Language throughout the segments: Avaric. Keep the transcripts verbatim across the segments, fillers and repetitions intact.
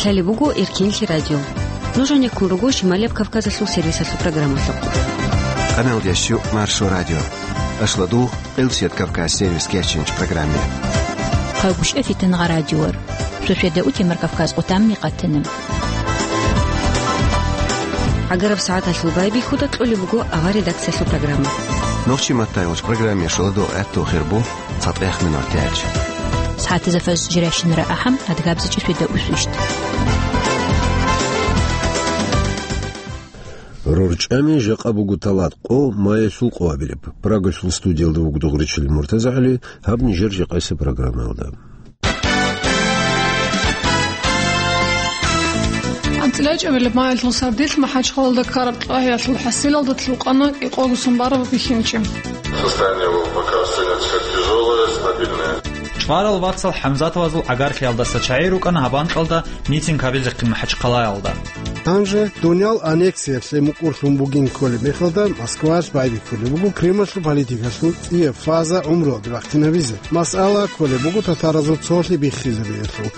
Лъалеб буго Эркенлъи радио. Нуж гьанеккун руго Шималияб Кавказалъул сервисалъул программалъухъ. Къаналдящу Маршо радио. Ашладу Къилсият Кавказ сервис кечинч программе. Къагушев Фитангъа радиор. Суседа утемар Кавказ къутамни къатана. ГӀагараб сагӀаталъул байбихьуда кьолеб буго авар редакциялъул программа. Нохчи маттайгъуч программе шоладо гӀатту хирбу. ЦатӀехъ минуталъ. СагӀатизафаз жиращинара ахӀам, адгабзичӀи светаусвищ. РорчӀами жакъа буго талат къо, маялъул къо абилеб. Прагалъул студиялда вуго Дугъричил МуртазагӀали, гьаб нижер жакъасеб программаялда. АнцӀила чӀабилеб маялъул сардилъ МахӀачхъалалда ккараб кьвагьиялъул хӀасилалда лъукъана кӀикъого сун бараб бихьинчи. Состояние его пока остаётся как тяжёлое, стабильное. ЧӀварал вацал ХӀамзатовазул гӀагарлъиялдаса чагӀи рукӀана гьаб анкьалда митинг гьабизехъин МахӀачхъалаялда. Гьанже дуниял аннексиялъе мукӀурлъун бугин кколеб мехалда Москваялъ байбихьулеб буго Кремльалъул политикалъул цӀияб фаза гӀумруялде бахъинабизе. Масъалаялъ кколеб буго татаразул цолъи биххизабиялъул.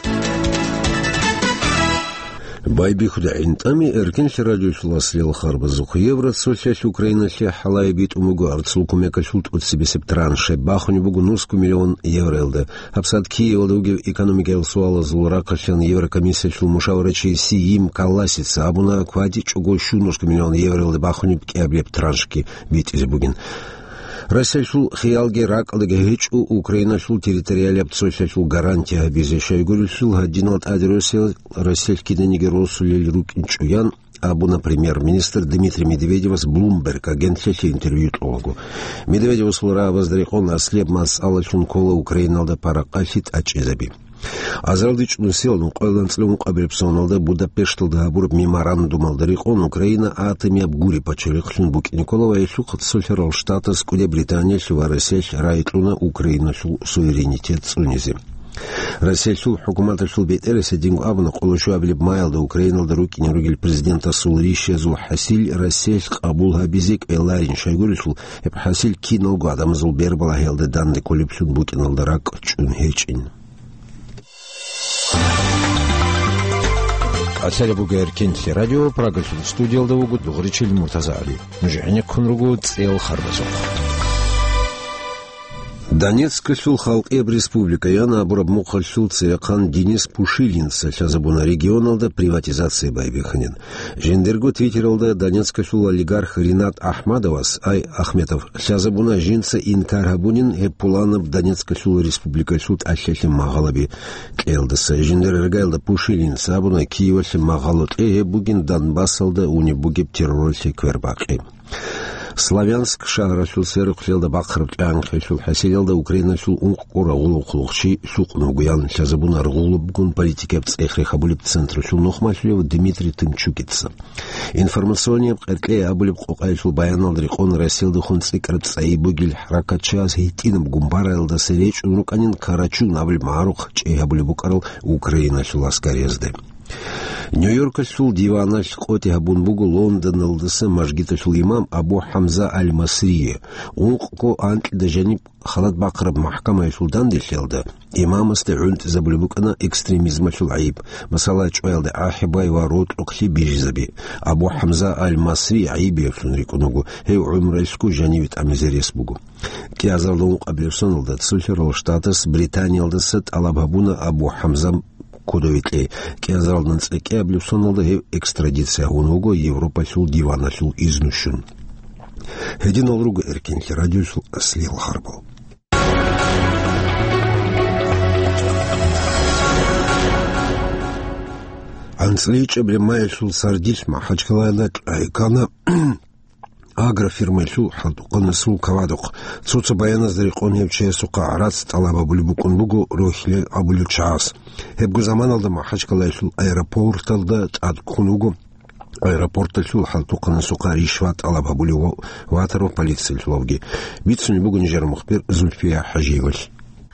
Байбихьуда гӀинтӀами Эркенлъи радиолъул аслиял харбазухъ. Евроцолъиялъ Украиналъе хӀалае битӀун буго арцул кумекалъул тӀоцебесеб транш. Бахунеб буго нусго миллион евроялда. ГьабсагӀат Киевалда вугев экономикаял суалазул рахъалъан Еврокомиссиялъул мушаварачи Сиим Калласица абуна, кватӀичӀого щунусго миллион евроялда бахунеб кӀиабилеб траншги битӀизе бугин. Россиялъул хиялги ракӀалдаги гьечӀо Украиналъул территориалияб цолъиялъул гарантия гьабизе. Щайгурелъул гьадинал тӀаде Россиялъ, Россиялъ киданиги росулел рукӀинчӀо, ян абуна премьер-министр Дмитрий Медведевас Bloomberg агентлъиялъе интервью кьолаго. Медведевасул рагӀабазда рекъон аслияб масъалалъун ккола Украиналда паракъалъи тӀачӀизаби. Азарилда чӀудусиял нукъоялда анцӀила ункъабилеб соналда Будапешталда гьабураб меморандумалда рекъон Украина атомияб гуреб пачалихълъун букӀине ккола ва гьелъухъ Цолъарал Штатаз КӀуди Британиялъ ва Россиялъ рагӀи кьуна Украиналъул суверенитет цӀунизе. Россиялъул хӀукуматалъул бетӀерас гьединго абуна, къоло щуабилеб маялда Украиналда рукӀине ругел президентасул ришаязул хӀасил Россиялъ къабул гьабизе кӀвеларин, щайгурелъул гьеб хӀасил киналго гӀадамазул бербалагьиялда данде кколеблъун букӀиналда ракӀ чӀун гьечӀин. Лъалеб буго Эркенлъи радио, Прагалъул студиялда вуго Дугъричил МуртазагӀали. Нуж гӀенеккун руго цӀел харбазухъ. Донецкалъул халкъияб республика ян абураб мухъалъул цевехъан Денис Пушилинца лъазабуна регионалда приватизация байбихьанин. Жиндирго Твиттералда Донецкалъул олигарх Ринат Ахмадовас, ай, Ахметов, лъазабуна жинца инкар гьабунин гьеб пуланаб Донецкалъул республикалъул тӀалъалъе магъалаби кьеялдаса. Жиндир иргаялда Пушилинца абуна, Киевалъе магъало кьей гьеб бугин Донбассалда унеб бугеб терроралъе квербакъи. Славянск шагьаралъул сверухълъиялда бахъараб тӀагӀинхъелъул хӀасилалда Украиналъул ункъкъо рагъулахъулахъчи лъукъун вугоян лъазабуна рагъулабгун политикияб цӀех рехабулеб централъул нухмалъулев Дмитрий Тымчукица. Информационияб къеркьей абулеб къокъаялъул баяналда рекъон Россиялдехун цӀикӀкӀараб цӀайи бугел хӀаракатчияс гьитӀинаб гумбараялдаса речӀун рукӀанин Карачун абулеб магӀарухъ чӀей гьабулеб букӀарал Украиналъул аскариязде. Нью-Йоркалъул диваналъ къотӀи гьабун буго Лондоналдаса мажгиталъул имам Абу ХӀамза Аль-Масрие. Ункъго анкьида жаниб халат бахъараб махӀкамаялъул данделъиялда имамасда гӀунтӀизабулеб букӀана экстремизмалъул гӀайиб, масала, чӀваялда ахӀи бай ва рокьухълъи бижизаби. Абу ХӀамза Аль-Масри гӀайибиявлъун рикӀкӀун вуго, гьев гӀумруялъго жаниве тӀамизе рес буго. КӀиазарда ункъабилеб соналда Цолъарал Штатас Британиялдаса тӀалаб гьабуна Абу ХӀамза кодове кьей. КӀиазаралда анцӀила кӀиабилеб соналда гьев экстрадиция гьавун вуго Европалъул диваналъул изну щун. Гьединал руго Эркенлъи радиолъул аслиял харбал. АнцӀила ичӀабилеб маялъул сардилъ МахӀачхъалаялда кьвагӀи ккана агрофирмаялъул хӀалтӀухъанасул кавадухъ. Цо-цо баяназда рекъон гьев чиясухъа гӀарац тӀалаб гьабулеб букӀун буго рохьилел абулел чагӀаз. Гьебго заманалда МахӀачхъалаялъул аэропорталда тӀад ккун вуго аэропорталъул хӀалтӀухъанасухъа ришват тӀалаб гьабулев ватарав полициялъулавги. Бицунеб буго нижер мухбир Зульфия ХӀажиевалъ.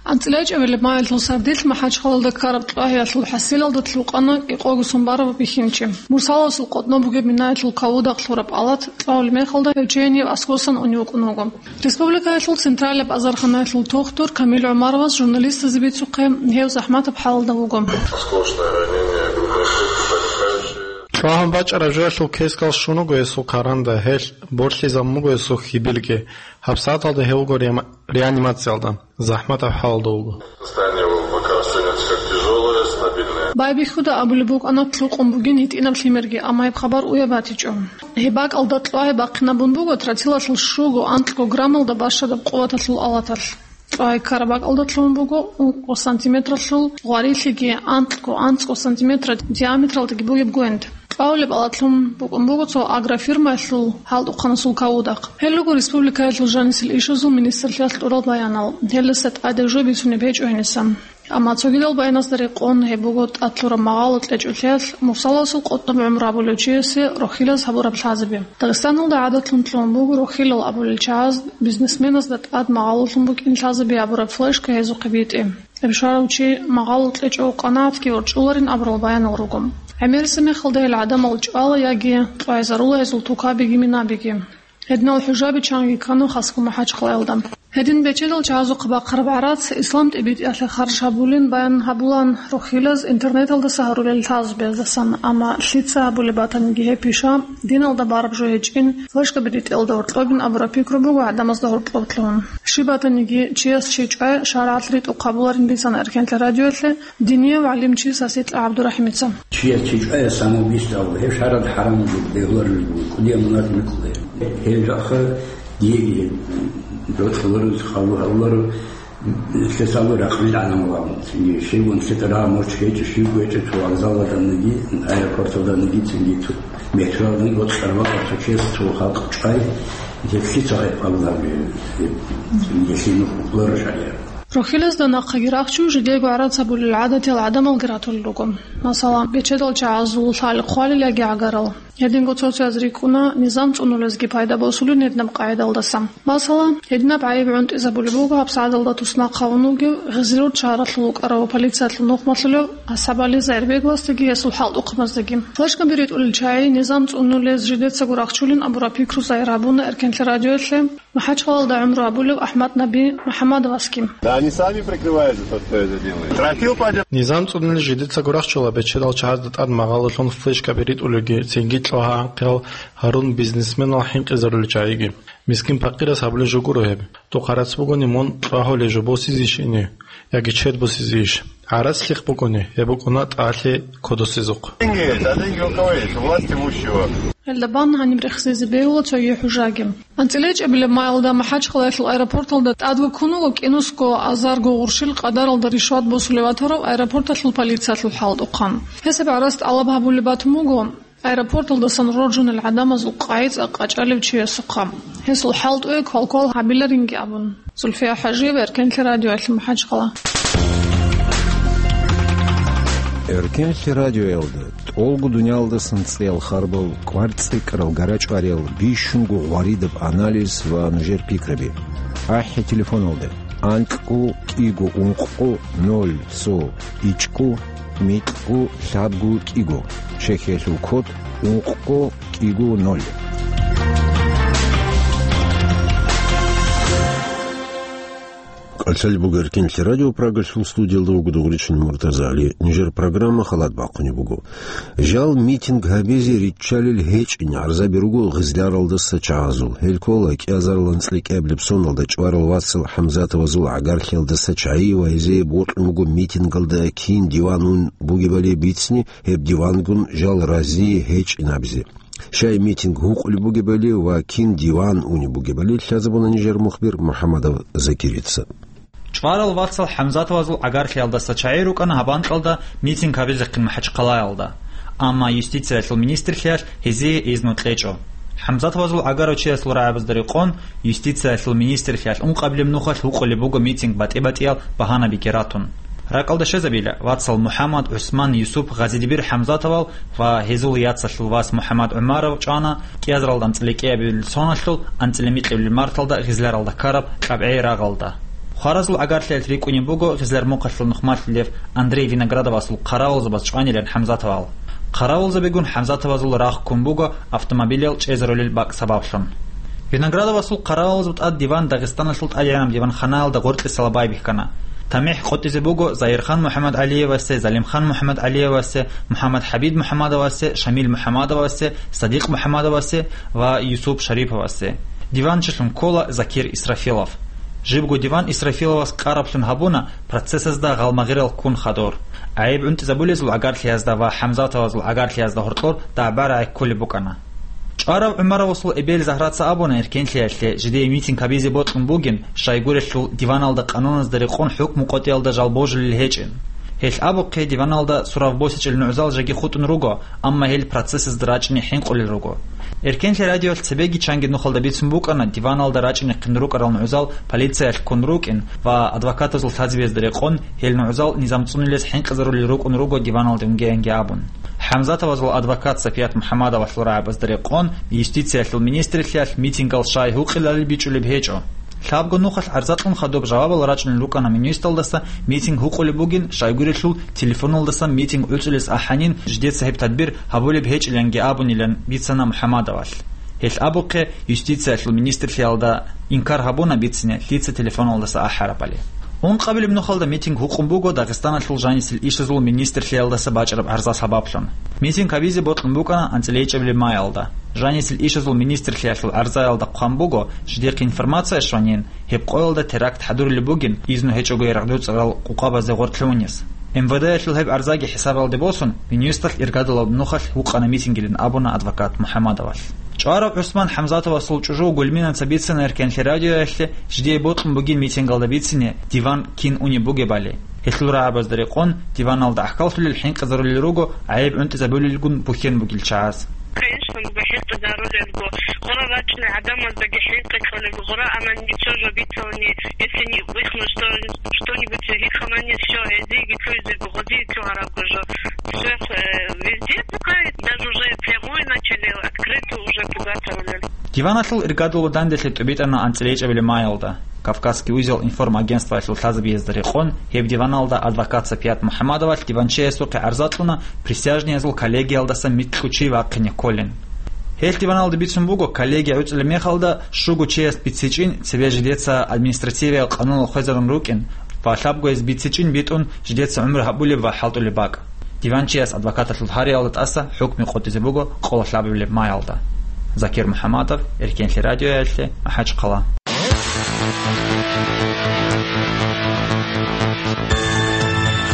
АнцӀила ичӀабилеб маялъул сардилъ МахӀачхъалалда ккараб кьвагьиялъул хӀасилалда лъукъана кӀикъого сун бараб бихьинчи. Мурсаласул къотӀноб бугеб минаялъул кавудахълъураб палат кьвагьулеб мехалда гьев чейине аскӀосан унев вукӀун вуго. Республикаялъул централияб азарханаялъул тухтур Камил ГӀумаровас журналистазе бицухъе, гьев захӀматаб хӀалалда вуго. Осколочное ранение грудной клетки. ЧӀвагьун бачӀараб жоялъул кескал щун вуго гьесул каранда, гьелъ борлъизабун буго гьесул хьибилги. ГьабсагӀаталда гьев вуго реама-, реанимациялда, захӀматаб хӀалалда вуго. Состояние его пока остаётся как тяжёлое, стабильное. Байбихьуда абулеб букӀана лъукъун бугин гьитӀинаб лъимерги, амма гьеб хабар уяв батичӀо. Гьеб бакӀалда кьвагьи бахъинабун буго тротилалъул щуго-анкьго граммалда бащадаб къуваталъул алаталъ. Кьвагьи ккараб бакӀалда лъугьун буго ункъо сантиметралъул гъварилъиги анкьго-анцӀго сантиметра диаметралдаги бугеб гвент. Кьвагьулеб алатлъун букӀун буго цо агрофирмаялъул хӀалтӀухъанасул кавудахъ. Гьел руго республикаялъул жанисел ишазул министрлъиялъ тӀурал баянал. Гьелдаса тӀаде жо бицунеб гьечӀо гьениса. Амма цогидал баяназда рекъон гьеб буго тӀад лъураб магъало кьечӀолъиялъ мурсаласул къотӀнаб гӀумру гьабулев чиясе рохьилаз гьабураб лъазаби. Дагъистаналда гӀадатлъун лъугьун буго рохьилал абулел чагӀаз бизнесменазда тӀад магъалолъун букӀин лъазаби гьабураб флешка гьезухъе битӀи. Гьеб щварав чи магъало кьечӀого къанагӀатги ворчӀуларин абурал баянал руго. ГӀемерисеб мехалда гьел гӀадамал чӀвала яги кьвайзарула гьезул тукабиги минабиги. Гьединал хӀужаби чанги ккана хасго МахӀачхъалаялда. Гьедин бечедал чагӀазухъе бахъараб гӀарац ислам тӀибитӀиялъе харж гьабулин баян гьабулан рохьилаз интернеталдаса гьарулел лъазабаздасан, амма лъица гьабулеб батаниги гьеб пиша, диналда бараб жо гьечӀин, флешкаби ритӀелда гьоркьобин абураб пикру буго гӀадамазда гьоркьоб лъугьун. Щиб батаниги чияс чи чӀвай шаргӀалъ ритӀухъ гьабуларин бицана Эркенлъи радиоялъе динияв гӀалимчи Саситла ГӀабдурахӀимица. Чияс чи чӀвай самоубийство абула, гьеб шаргӀалда хӀарам буго, бегьулареб буго, кӀудияв мунагь букӀуна. Гьел жакъа диеги гьеб, рокьуларо, хъалу гьавуларо, лъесалу ракълил гӀадамал абун. Цинги щивгун лъикӀа рагӀа морч гьечӀо, щивго гьечӀо, цо вокзалалданиги, аэропорталданиги, цинги цо метроялданиги, вот, къарбакъа цо чияс, цо халкъ чӀвай, гьеб лъица гьеб абулеб, гьеб, цинги лъимухъ букӀуларо шаргӀалъ. Рохьилазда нахъеги рахчун жидеего гӀарац гьабулел гӀадатиял гӀадамалги ратулел руго. Масала, бечедал чагӀазул лъали хъвалел яги гӀагарал. Гьединго цо-цояз рикӀкӀуна низам цӀунулезги пайда босулин гьединаб къагӀидалдаса. Масала, гьединаб гӀайиб гӀунтӀизабулеб буго гьабсагӀаталда туснахъ гьавун вугев Гъизлиюрт шагьаралъул вукӀарав полициялъул нухмалъулев АсхӀабали Зайирбеговасдаги гьесул хӀалтӀухъабаздаги. Флешкаби ритӀулел чагӀи низам цӀунулез жидецаго рахчулин абураб пикру загьир гьабуна Эркенлъи радиоялъе МахӀачхъалаялда гӀумру гьабулев АхӀмад-Наби МухӀаммадовасги. Да они сами прикрываются, тот, кто это делает. Тропил пойдёт. Низам цӀунулел жидецаго рахчула бечедал чагӀазда тӀад магъалолъун флешкаби ритӀулелги, цинги кьвагьа-анкьиял гьарун бизнесменал хӀинкъизарулел чагӀиги. Мискин-пакъирас гьабулеб жо гуро гьеб. Духъа гӀарац бугони мун кьвагьулеб жо босизейищ гьенив, яги чед босизейищ? ГӀарац лъихъ букӀуни, гьеб букӀуна тӀалъи кодосезухъ. Деньги, да деньги у кого есть? У власть имущего. Гьелда бан гьаниб рехсезе бегьула цоги хӀужаги. АнцӀилечӀебилеб майалда МахӀачхъалаялъул аэропорталда тӀадвуккун вуго кӀинусго азарго гъурщил къадаралда ришват босулев ватарав аэропорталъул полициялъул хӀалтӀухъан. Гьесаб гӀарац тӀалаб гьабулеб батун буго аэропорталдасан роржунел гӀадамазул къайи-цӀа къачӀалев чиясухъа. Гьесул хӀалтӀуе квалквал гьабиларинги абун. Зульфия ХӀажиева, Эркенлъи радиоялъе МахӀачхъала. Эркенлъи радиоялда тӀолго дуниялдасан цӀеял харбал, кӀвар цӀикӀкӀарал гарачӀвариял, бищунго гъваридаб анализ ва нужер пикраби. АхӀи телефоналда: анкьго кӀиго ункъго ноль цо ичӀго микьго лъабго кӀиго, чехьиялъул код ункъго кӀиго ноль. КӀалъалеб буго Эркенлъи радио, Прагалъул студиялда вуго Дугъричин МуртазагӀли. Нижер программа халат бахъунеб буго. Жал митинг гьабизе риччалел гьечӀин гӀарзаби руго Гъизляралдаса чагӀазул. Гьел ккола кӀиазарилан цӀикӀкӀабилеб соналда чӀварал вацал ХӀамзатовазул гӀагарлъиялдаса чагӀи ва гьезие бокьун буго митингалда кин диван ун бугебали бицни, гьеб дивангун жал разие гьечӀин абизе. Щай митинг гьукъулеб бугебали ва кин диван унеб бугебали лъазабуна нижер мухбир МухӀаммадов Закирица. ЧӀварал вацал ХӀамзатовазул гӀагарлъиялдаса чагӀи рукӀана гьаб анкьалда митинг гьабизехъин МахӀачхъалаялда, амма юстициялъул министрлъиялъ гьезие изну кьечӀо. ХӀамзатовазул гӀагарав чиясул рагӀабазда рекъон, юстициялъул министрлъиялъ ункъабилеб нухалъ гьукъулеб буго митинг батӀи-батӀиял багьанабиги ратун. РакӀалда щвезабила, вацал МухӀаммад, ГӀусман, Юсуп, Гъазидибир ХӀамзатовал ва гьезул яцалъул вас МухӀаммад ГӀумаров чӀвана кӀиазаралда анцӀила кӀиабилеб соналъул анцӀила микьабилеб марталда Гъизляралда ккараб КьабгӀей рагъалда. Хваразул гӀагарлъиялъ рикӀкӀунеб буго Гъизляр мухъалъул нухмалъулев Андрей Виноградовасул хъаравулзабаз чӀванилан ХӀамзатовал. Хъаравулзабигун ХӀамзатовазул рагъ ккун буго автомобилал чӀезарулел бакӀ сабаблъун. Виноградовасул хъаравалазул тӀад диван Дагъистаналъул тӀадегӀанаб диванханаялда гъоркьисала байбихьана. ТамихӀ къотӀизе буго Загьирхан МухӀаммадгӀалиевасе, Залимхан МухӀаммадгӀалиевасе, МухӀаммад ХӀабиб МухӀаммадовасе, Шамил МухӀаммадовасе, Садикъ МухӀаммадовасе ва Юсуп Шариповасе. Диванчилъун ккола Закир Исрафилов. Жибго диван Исрафиловас къараблъун гьабуна процессазда гъалмагъирал ккун хадур. ГӀайиб гӀунтӀизабулезул гӀагарлъиязда ва ХӀамзатовазул гӀагарлъиязда гьоркьор дагӀба-рагӀи кколеб букӀана. ЧӀварав ГӀумаровасул эбел Загьраца абуна, эркенлъиялъе жидее митинг гьабизе бокьун бугин, щайгурелъул диваналда къануналда рекъон хӀукму къотӀиялда жал божулел гьечӀин. Гьелъ абухъе, диваналда сурав босичӀел нугӀзал жеги хутӀун руго, амма гьел процессазда рачӀине хӀинкъулел руго. Эркенлъи радиоялъ цебеги чанги нухалда бицун букӀана, диваналда рачӀинехъин рукӀарал нугӀзал полициялъ ккун рукӀин ва адвокатазул лъазабиязда рекъон гьел нугӀзал низам цӀунилез хӀинкъизарулел рукӀун руго диваналде унгеянги абун. ХӀамзатовазул адвокат Сапият МухӀаммадовалъул рагӀабазда рекъон юстициялъул министрлъиялъ митингал щай гьукъилали бичӀчӀулеб гьечӀо. Лъабго нухалъ гӀарза кьун хадуб жавабал рачӀунел рукӀана Минюсталдаса митинг гьукъулеб бугин, щайгурелъул телефоналдасан митинг гӀуцӀулес ахӀанин жидеца гьеб тадбир гьабулеб гьечӀиланги абунилан бицана МухӀаммадовалъ. Гьелъ абухъе, юстициялъул министрлъиялда инкар гьабуна бицине лъица телефоналдаса ахӀарабали. Ункъабилеб нухалда митинг гьукъун буго Дагъистаналъул жанисел ишазул министрлъиялдаса бачӀараб гӀарза сабаблъун. Митинг гьабизе бокьун букӀана анцӀила ичӀабилеб маялда. Жанисел ишазул министрлъиялъул гӀарзаялда хъван буго, жидехъе информация щванин, гьеб къоялда теракт хӀадурулеб бугин, изну гьечӀого яргъдуцӀарал къукъабазде гъоркье унес. МВД-ялъул гьеб гӀарзаги хӀисабалде босун, Минюсталъ иргадулаб нухалъ гьукъана митингилин абуна адвокат МухӀаммадовалъ. ЧӀварав ГӀусман ХӀамзатовасул чӀужу Гульминаца бицана эркенлъи радиоялъе жидее бокьун бугин митингалда бицине диван кин унеб бугебали. Гьелъул рагӀабазда рекъон диваналда гӀахьаллъулел хӀинкъизарулел руго гӀайиб гӀунтӀизабулелгун бухьен бугел чагӀаз. Конечно, буго хӀинкъизарулелго. Гъора рачӀунел гӀадамаздаги хӀинкъи кьолеб гъора, амма ничего же бицани, если не выхну что, что-нибудь гьикъанани, всё, гьезиеги лъугьизе гъозие лъугьарабго жо. Всё, э, везде пугает, даже уже прямой начали открыто уже пугать. Диваналъул иргадулаб данделъи тӀубитӀана анцӀила ичӀабилеб маялда. Кавказский узел информагентствоялъул лъазабиязда рекъон, гьеб диваналда адвокат Сапият МухӀаммадовалъ диванчиясухъе гӀарза кьуна присяжныязул коллегиялдаса микьго чи вахъине кколин. Гьелъ диваналда бицун буго, коллегия гӀуцӀулеб мехалда щуго чияс бицичӀин цебе жидеца административиял къануналда хвезарун рукӀин ва лъабгояс бицичӀин битӀун жидеца гӀумру гьабулеб ва хӀалтӀулеб бакӀ. Диванчияс адвокаталъул гьариялда тӀаса хӀукму къотӀизе буго къоло лъабабилеб маялда. Закир МухӀаммадов, Эркенлъи радиоялъе, МахӀачхъала.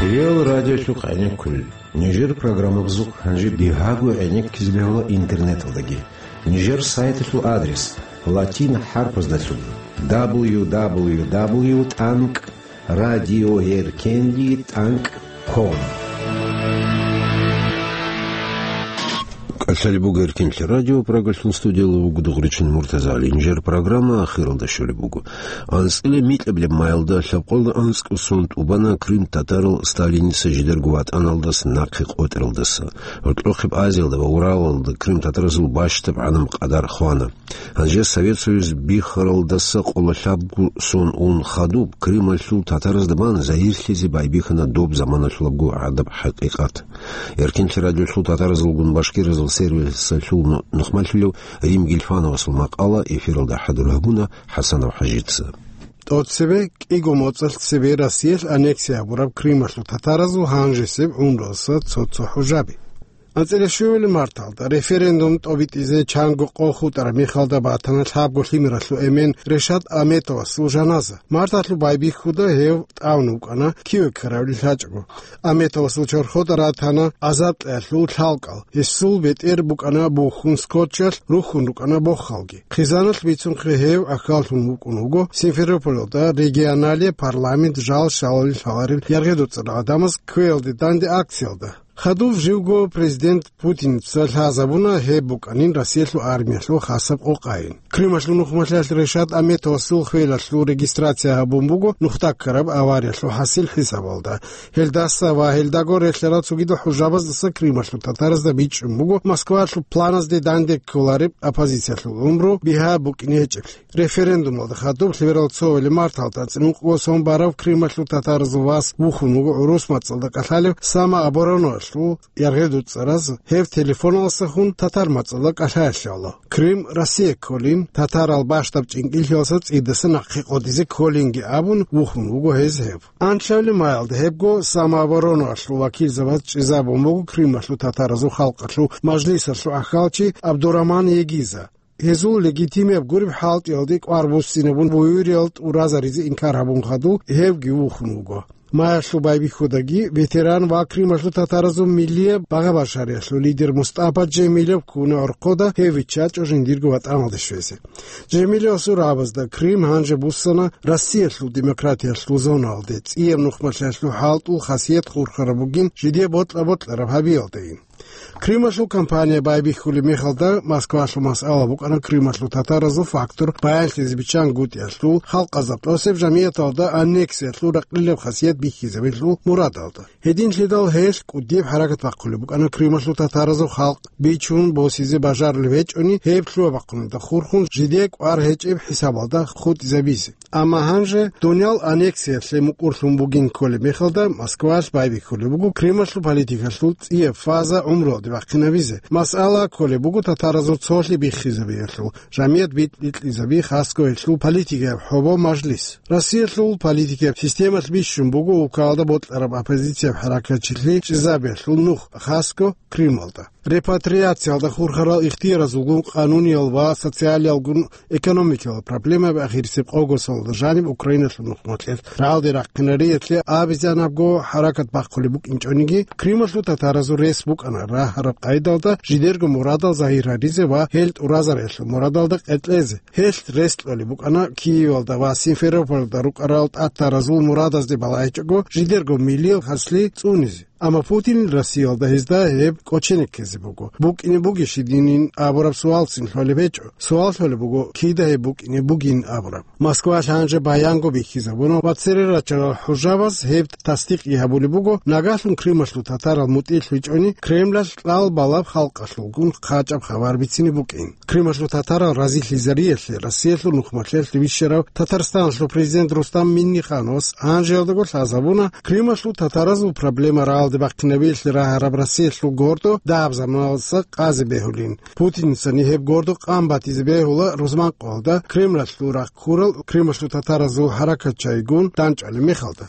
Реал радиолъухъ гӀенеккулел. Нижер программабазухъ гьанже бигьаго гӀенеккизе бегьула интернеталдаги. Нижер сайталъул адрес: латин хӀарпаздалъун: дабл ю дабл ю дабл ю тӀанкӀ радиоэркенлъи тӀанкӀ ком. КӀалъалеб буго Эркенлъи радио, Прагалъул студиялда вуго Дугъричин Муртазагьли. Нижер программа ахиралда щолеб буго. АнцӀила микьабилеб маялда лъабкъоялда анцӀго сон тӀубана крымтатарал Сталиница жидерго ватӀаналдаса нахъе къотӀаралдаса. Гьоркьохъеб Азиялда ва Уралалда крымтатаразул бащдаб гӀадамал къадар хвана. Гьанже Совет Союз биххаралдаса къоло лъабго сон ун хадуб, Крымалъул татаразда бан загьирлъизе байбихьана доб заманалъулабго гӀадаб хӀакъикъат. Эркенлъи радиолъул татаразулгун башкиразул сервисалъул нухмалъулев Рим Гилфановасул макъала эфиралда хӀадур гьабуна ХӀасанов ХӀажица. ТӀоцебе кӀиго моцӀалъ цебе Россиялъ аннексия гьабураб Крымалъул татаразул гьанжесеб гӀумруялъул цо-цо хӀужаби. АнцӀила щуябилеб марталда референдум тӀобитӀизе чанго къо хутӀараб мехалда батана лъабго лъимералъул эмен Решат Аметовасул жаназа. Марталъул байбихьуда гьев тӀамун вукӀана, киве ккарабилеб лъачӀого. Аметовасул чорхолда ратана азаркьаялъул лъалкӀал. Гьесул бетӀер букӀана бухьун скотчалъ, рухьун рукӀана бохалги. Хъизаналъ бицунхъе гьев ахьаллъун вукӀун вуго Симферополалда регионалияб парламент жал щалалил лъаларел яргъи-доцӀарал гӀадамаз кквеялде данде акциялда. Хадуб живго президент Путинца лъазабуна гьеб букӀанин Россиялъул армиялъул хасаб къокъайин. Крымалъул нухмалъиялъ Решат Аметовасул хвелалъул регистрация гьабун буго нухда ккараб авариялъул хӀасил хӀисабалда. Гьелдаса ва гьелдаго релълъарал цогидал хӀужабаздаса Крымалъул татаразда бичӀчӀун буго Москвалъул планазде данде кколареб оппозициялъул гӀумру бигьа букӀине гьечӀеблъи. Референдумалда хадуб лъимерал цоабилеб марталда анцӀила ункъго сон бараб Крымалъул татаразул вас вухьун вуго гӀурус мацӀалда кӀалъалев самообороналъ Лъу яргъел дуцӀараз гьев телефоналдасахун татар мацӀалда кӀалъаялъ гьавула. Крым Россия кколин, татарал бащдаб чӀинкӀиллъиялдаса цӀидасан нахъе къотӀизе кколинги абун вухун вуго гьез гьев. Анлъабилеб майалда гьебго самообороналъул вакилзабаз чӀезабун буго Крымалъул татаразул халкъалъул мажлисалъул ахӀалчи Абдураман Егиза. Гьезул легитимияб гуреб хӀалтӀиялде кӀвар буссинабун буюриял тӀуразаризе инкар гьабун хадуб гьевги вухун вуго. Майялъул байбихьудаги ветеран ва Крымалъул татаразул миллияб багъа-башариялъул лидер МустӀапа Жемилев ккуна гӀорхъода гьев виччачӀо жиндирго ватӀаналде щвезе. Жемилевасул рагӀабазда Крым гьанже буссана Россиялъул демократиялъул зонаялде, цӀияб нухмалъиялъул хӀалтӀул хасият хурхараб бугин жидее бокьа-бокьараб гьабиялдайин. Крымалъул кампания байбихьулеб мехалда Москвалъул масъала букӀана Крымалъул татаразул фактор баянлъизе биччан гутӀиялъул, халкъазда тӀосеб жамияталда аннексиялъул ракъилаб хасият бихьизабилъул мурадалда. Гьединлъидал гьелъ кӀудияб хӀаракат бахъулеб букӀана Крымалъул татаразул халкъ бичун босизе бажарулеб гьечӀони, гьеб лъугьа-бахъуназда хурхун жидее кӀвар гьечӀеб хӀисабалда хутӀизабизе. Амма гьанже дуниял аннексиялъе мукӀурлъун бугин кколеб мехалда, Москвалъ байбихьулеб буго Крымалъул политикалъул цӀияб фаза гӀумруялде бахъинабизе. Масъала кколеб буго татаразул цолъи биххизабиялъул, жамият битӀ-битӀизаби, хасго гьелъул политикаяб хӀобо, мажлис. Россиялъул политикаяб системалъ бищун буго улкаялда бокьараб оппозицияб хӀаракатчилъи чӀезабиялъул нух, хасго Крымалда. Репатриациялда хурхарал ихтияразулгун, къануниял ва социалиялгун экономикиял проблемаби ахирисеб къого соналда жаниб Украиналъул нухмалъиялъ рагӀалде рахъинариялъе абизанабго хӀаракат бахъулеб букӀинчӀониги, Крымалъул татаразул рес букӀана рагьараб къайдалда жидерго мурадал загьир гьаризе ва гьел тӀуразариялъул мурадалда къеркьезе. Гьелъ рес кьолеб букӀана Киевалда ва Симферопольда рукӀарал татаразул мурадазде балагьичӀого жидерго миллиял хаслъи цӀунизе. Амма Путин Россиялда гьезда гьеб кӀочене ккезе буго. БукӀине бугищ гьединин абураб суалцин лъолеб гьечӀо. Суал лъолеб буго, кида гьеб букӀине бугин абураб. Москвалъ гьанже баянго бихьизабуна ва цере рачарал хӀужабаз гьеб тасдикъги гьабулеб буго, нагагьлъун Крымалъул татарал мутӀигӀлъичӀони Кремлалъ кьал балаб халкъалъулгун хъачӀаб хабар бицине букӀин. Крымалъул татарал разилъизариялъе Россиялъул нухмалъиялъ вищарав Татарстаналъул президент Рустам Миннихановас гьанжеялдаго лъазабуна Крымалъул татаразул проблема рагӀалде бахъинабиялъе рагьараб Россиялъул гордо дагьаб заманалдаса къазе бегьулин. Путинцани гьеб гордо къан батизе бегьула рузманкъоялда Кремлалъул рахъ ккурал Крымалъул татаразул хӀаракатчайгун данчӀвалеб мехалда.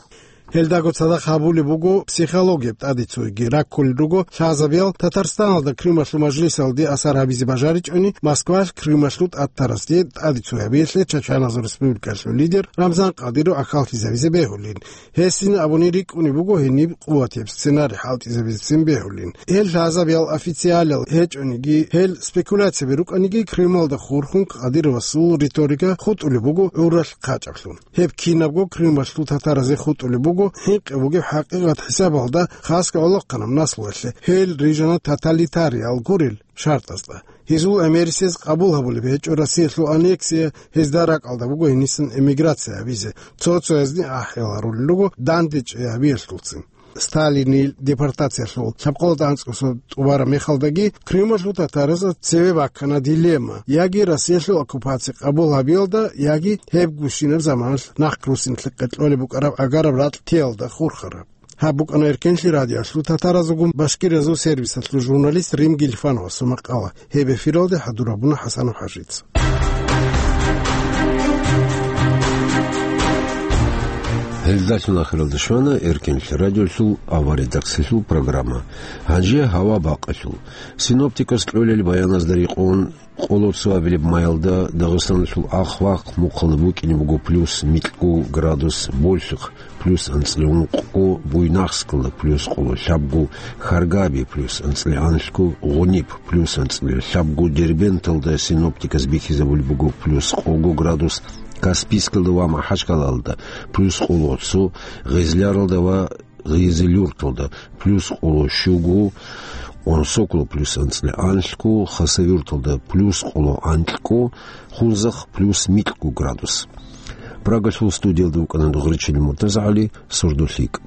Гьелдаго цадахъ гьабулеб буго психологияб тӀадицуеги. Раккулел руго лъазабиял Татарстаналда Крымалъул мажлисалде асар гьабизе бажаричӀони, Москвалъ Крымалъул тӀатарасде тӀадицу гьабиялъе Чачаназул республикалъул лидер Рамзан Кадыров ахӀаллъизабизе бегьулин. Гьесин абуни рикӀкӀунеб буго гьениб къуватияб сценарий хӀалтӀизабизецин бегьулин. Гьел лъазабиял официалиял гьечӀониги, гьел спекуляцияби рукӀаниги, Крымалда хурхун Кадыровасул риторика хутӀулеб буго гӀуралъ хъачӀаблъун. Гьеб кинабго Крымалъул татаразе хутӀулеб буго хӀинкъи бугеб хӀакъикъат хӀисабалда хасго гӀолохъанаб наслуялъе, гьел рижана тоталитариял гурел шартӀазда. Гьезул гӀемерисез къабул гьабулеб гьечӀо Россиялъул аннексия, гьезда ракӀалда буго гьенисан эмиграция гьабизе, цо-цоязни ахӀи гьарулел руго данде чӀей гьабиялъулцин. Сталинил депортациялъул лъабкъоялда анцӀго сордо тӀубараб мехалдаги Крымалъул татаразда цеве баккана дилемма: яги Россиялъул оккупация къабул гьабиялда, яги гьеб гущинаб заманалъ нахъ руссинлъи къеркьолеб букӀараб агараб ракьтиялда хурхараб. Гьаб букӀана Эркенлъи радиоялъул татаразулгун башкириязул сервисалъул журналист Рим Гилифановасул макъала. Гьеб эфиралде хӀадур гьабуна ХӀасанов ХӀажица. Гьелдалъун ахиралда щвана Эркенлъи радиолъул авария-даксилъул программа. Гьанже гьава бакъалъул. Синоптикас кьолел баяназда рекъон, къоло цоабилеб майалда Дагъистаналъул ахъ-вахъ мухъалда букӀине буго плюс микьго градус, Болъихъ плюс анцӀила ункъго, Буйнакскалда плюс къоло лъабго, Харгаби плюс анцӀила анлъго, Гъуниб плюс анцӀила лъабго. Дербенталда синоптикас бихьизабулеб буго плюс къого градус, Каспийскалда ва МахӀачкъалалда плюс къоло цо, Гъезляралда ва Гъизилюрталда плюс къоло щуго, Онсоколо плюс анцӀила анлъго, Хасавюрталда плюс къоло анкьго, Хунзахъ плюс микьго градус. Прагалъул студиялда вукӀана Гъречил МуртазагӀали, СордолъикӀ.